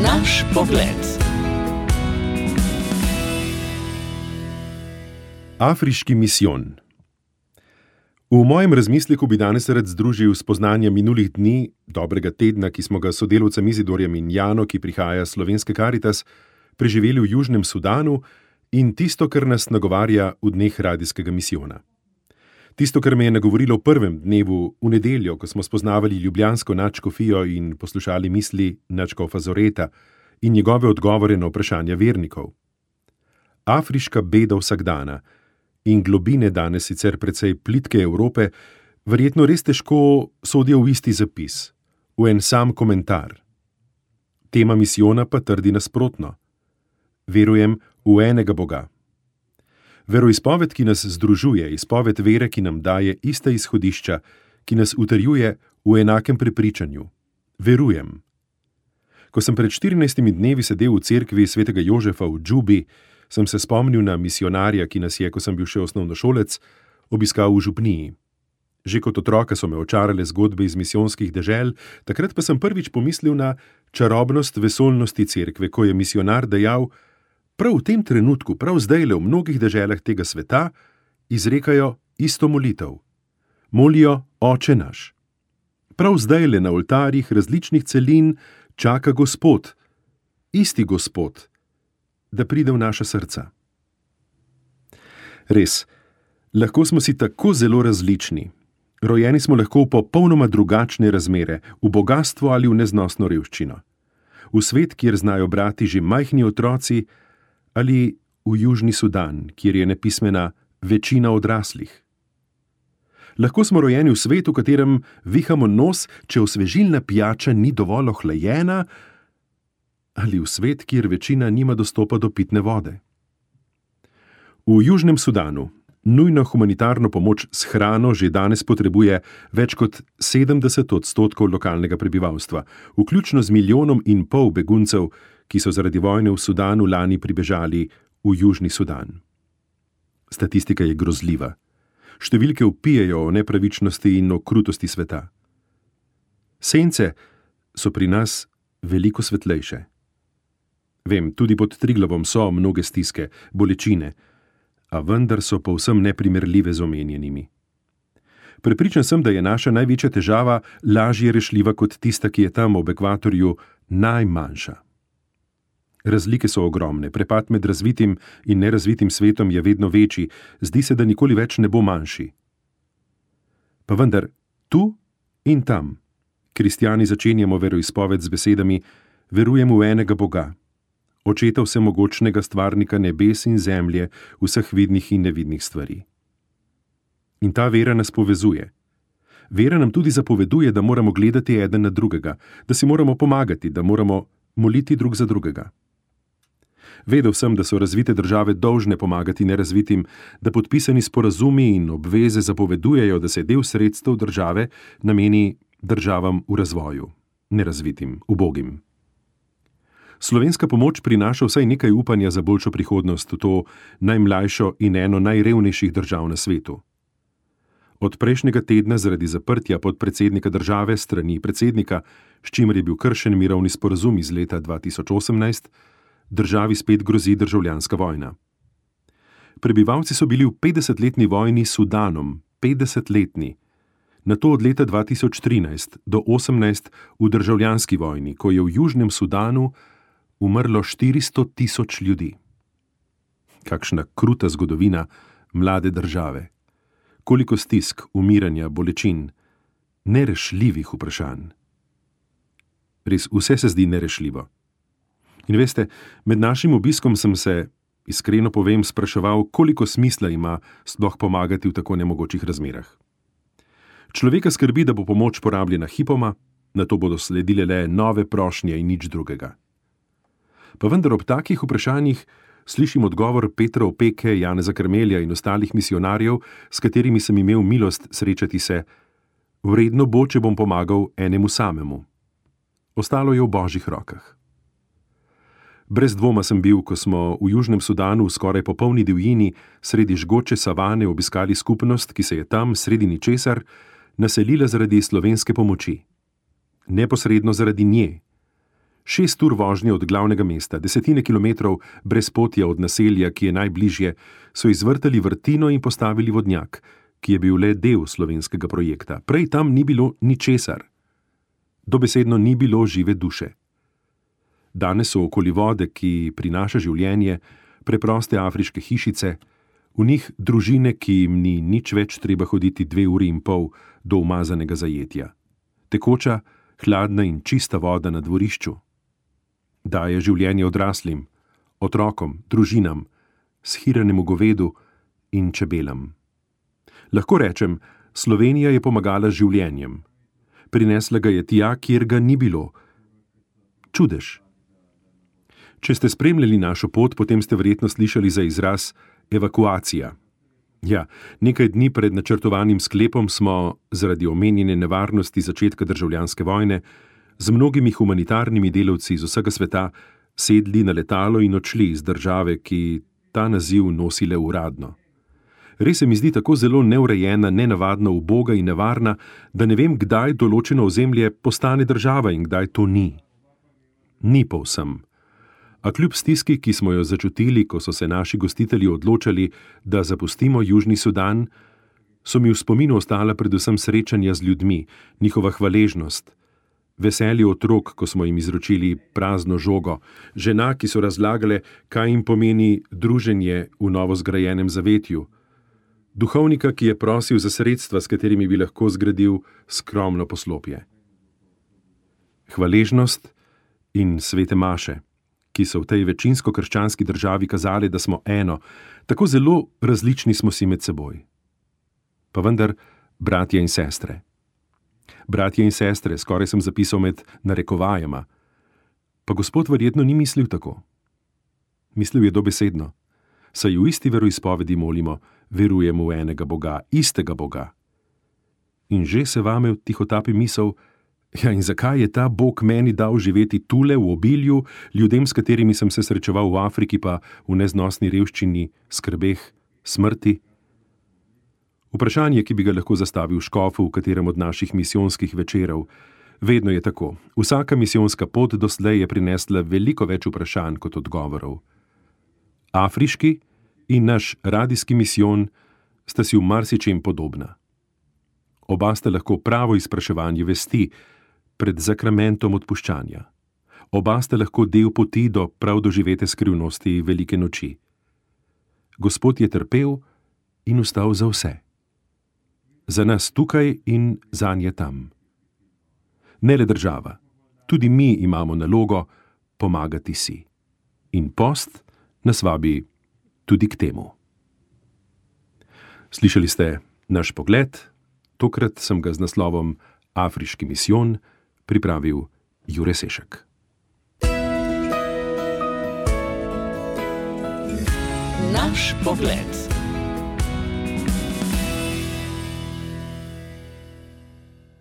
Naš pogled. Afriški misijon. V mojem razmisleku bi danes rad združil spoznanja minulih dni, dobrega tedna, ki smo ga s sodelavcem Izidorjem in Jano, ki prihaja s Slovenske Karitas, preživeli v Južnem Sudanu, in tisto, kar nas nagovarja v dneh radijskega misijona. Tisto, kar me je nagovorilo v prvem dnevu, v nedeljo, ko smo spoznavali ljubljansko nadškofijo in poslušali misli nadškofa Zoreta in njegove odgovore na vprašanja vernikov. Afriška beda vsakdana in globine danes sicer precej plitke Evrope verjetno res težko sodijo v isti zapis, v en sam komentar. Tema misijona pa trdi nasprotno. Verujem v enega Boga. Veroizpoved, ki nas združuje, izpoved vere, ki nam daje ista izhodišča, ki nas utrjuje v enakem prepričanju. Verujem. Ko sem pred 14 dnevi sedel v cerkvi svetega Jožefa v Džubi, sem se spomnil na misionarja, ki nas je, ko sem bil še osnovnošolec, obiskal v župniji. Že kot otroka so me očarale zgodbe iz misijonskih dežel, takrat pa sem prvič pomislil na čarobnost vesoljnosti cerkve, ko je misionar dejal: prav v tem trenutku, prav zdajle v mnogih deželah tega sveta izrekajo isto molitev. Molijo Oče naš. Prav zdajle na oltarjih različnih celin čaka Gospod, isti Gospod, da pride v naša srca. Res, lahko smo si tako zelo različni. Rojeni smo lahko v popolnoma drugačne razmere, v bogastvo ali v neznosno revščino. V svet, kjer znajo brati že majhni otroci, ali v Južni Sudan, kjer je nepismena večina odraslih. Lahko smo rojeni v svetu, v katerem vihamo nos, če osvežilna pijača ni dovolj ohlajena, ali v svet, kjer večina nima dostopa do pitne vode. V Južnem Sudanu nujno humanitarno pomoč s hrano že danes potrebuje več kot 70% lokalnega prebivalstva, vključno z 1,5 milijona beguncev, ki so zaradi vojne v Sudanu lani pribežali v Južni Sudan. Statistika je grozljiva. Številke vpijejo o nepravičnosti in o krutosti sveta. Sence so pri nas veliko svetlejše. Vem, tudi pod Triglavom so mnoge stiske, bolečine, a vendar so povsem neprimerljive z omenjenimi. Prepričan sem, da je naša največja težava lažje rešljiva kot tista, ki je tam ob ekvatorju najmanjša. Razlike so ogromne, prepad med razvitim in nerazvitim svetom je vedno večji, zdi se, da nikoli več ne bo manjši. Pa vendar, tu in tam, kristjani začenjamo veroizpoved z besedami: verujemo v enega Boga, Očeta vsemogočnega stvarnika nebes in zemlje, vseh vidnih in nevidnih stvari. In ta vera nas povezuje. Vera nam tudi zapoveduje, da moramo gledati eden na drugega, da si moramo pomagati, da moramo moliti drug za drugega. Vedel sem, da so razvite države dolžne pomagati nerazvitim, da podpisani sporazumi in obveze zapovedujejo, da se del sredstev države nameni državam v razvoju, nerazvitim, ubogim. Slovenska pomoč prinaša vsaj nekaj upanja za boljšo prihodnost v to najmlajšo in eno najrevnejših držav na svetu. Od prejšnjega tedna zaradi zaprtja podpredsednika države strani predsednika, s čimer je bil kršen mirovni sporazum iz leta 2018, državi spet grozi državljanska vojna. Prebivalci so bili v 50-letni vojni s Sudanom, 50-letni, nato od leta 2013 do 2018 v državljanski vojni, ko je v Južnem Sudanu umrlo 400.000 ljudi. Kakšna kruta zgodovina mlade države. Koliko stisk, umiranja, bolečin, nerešljivih vprašanj. Res, vse se zdi nerešljivo. In veste, med našim obiskom sem se, iskreno povem, spraševal, koliko smisla ima sploh pomagati v tako nemogočih razmerah. Človeka skrbi, da bo pomoč porabljena hipoma, nato bodo sledile le nove prošnje in nič drugega. Pa vendar ob takih vprašanjih slišim odgovor Petra Opeke, Janeza Karmelja in ostalih misionarjev, s katerimi sem imel milost srečati se: vredno bo, če bom pomagal enemu samemu. Ostalo je v Božjih rokah. Brez dvoma sem bil, ko smo v Južnem Sudanu v skoraj popolni divjini sredi žgoče savane obiskali skupnost, ki se je tam, sredi ničesar, naselila zaradi slovenske pomoči. Neposredno zaradi nje. 6 ur vožnje od glavnega mesta, desetine kilometrov brezpotja od naselja, ki je najbližje, so izvrtali vrtino in postavili vodnjak, ki je bil le del slovenskega projekta. Prej tam ni bilo ničesar. Dobesedno ni bilo žive duše. Danes so okoli vode, ki prinaša življenje, preproste afriške hišice, v njih družine, ki jim ni nič več treba hoditi 2,5 ure do umazanega zajetja. Tekoča, hladna in čista voda na dvorišču. Daje življenje odraslim, otrokom, družinam, shiranemu govedu in čebelam. Lahko rečem, Slovenija je pomagala z življenjem. Prinesla ga je tja, kjer ga ni bilo. Čudež. Če ste spremljali našo pot, potem ste verjetno slišali za izraz evakuacija. Ja, nekaj dni pred načrtovanim sklepom smo, zaradi omenjene nevarnosti začetka državljanske vojne, z mnogimi humanitarnimi delavci iz vsega sveta sedli na letalo in odšli iz države, ki ta naziv nosi le uradno. Res se mi zdi tako zelo neurejena, nenavadna, uboga in nevarna, da ne vem, kdaj določeno ozemlje postane država in kdaj to ni. Ni povsem. A kljub stiski, ki smo jo začutili, ko so se naši gostitelji odločali, da zapustimo Južni Sudan, so mi v spominu ostala predvsem srečanja z ljudmi, njihova hvaležnost, veselje otrok, ko smo jim izročili prazno žogo, žena, ki so razlagale, kaj jim pomeni druženje v novo zgrajenem zavetju, duhovnika, ki je prosil za sredstva, s katerimi bi lahko zgradil skromno poslopje. Hvaležnost in svete maše, ki so v tej večinsko krščanski državi kazali, da smo eno, tako zelo različni smo si med seboj. Pa vendar, bratje in sestre. Bratje in sestre, skoraj sem zapisal med narekovajema. Pa Gospod verjetno ni mislil tako. Mislil je dobesedno. Saj v isti veroizpovedi molimo, verujemo v enega Boga, istega Boga. In že se vame tihotapi misel, ja, in zakaj je ta Bog meni dal živeti tule v obilju, ljudem, s katerimi sem se srečeval v Afriki, pa v neznosni revščini, skrbeh, smrti? Vprašanje, ki bi ga lahko zastavil škofu v katerem od naših misijonskih večerov. Vedno je tako. Vsaka misijonska pot doslej je prinesla veliko več vprašanj kot odgovorov. Afriški in naš radijski misijon sta si v marsičem podobna. Oba sta lahko pravo izpraševanje vesti pred zakramentom odpuščanja. Oba sta lahko del poti do prav doživete skrivnosti velike noči. Gospod je trpel in vstal za vse. Za nas tukaj in zanje tam. Ne le država, tudi mi imamo nalogo pomagati si. In post nas vabi tudi k temu. Slišali ste naš pogled, tokrat sem ga z naslovom Afriški misijon pripravil Jure Sešek. Naš pogled.